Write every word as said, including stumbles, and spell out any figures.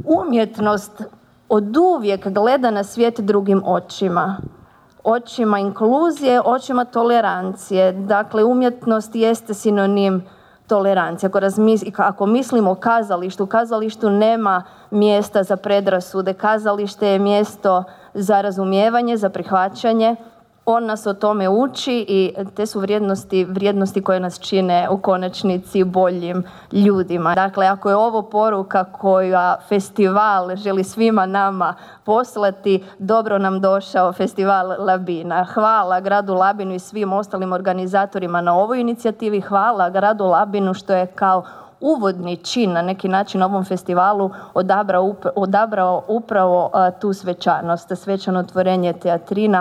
umjetnost oduvijek gleda na svijet drugim očima. Očima inkluzije, očima tolerancije. Dakle, umjetnost jeste sinonim tolerancije. Ako, razmis- ako mislimo o kazalištu, u kazalištu nema mjesta za predrasude. Kazalište je mjesto za razumijevanje, za prihvaćanje. On nas o tome uči i te su vrijednosti, vrijednosti koje nas čine u konačnici boljim ljudima. Dakle, ako je ovo poruka koja festival želi svima nama poslati, dobro nam došao festival Labina. Hvala gradu Labinu i svim ostalim organizatorima na ovoj inicijativi. Hvala gradu Labinu što je kao uvodni čin na neki način ovom festivalu odabrao, odabrao upravo tu svečanost, svečano otvorenje teatrina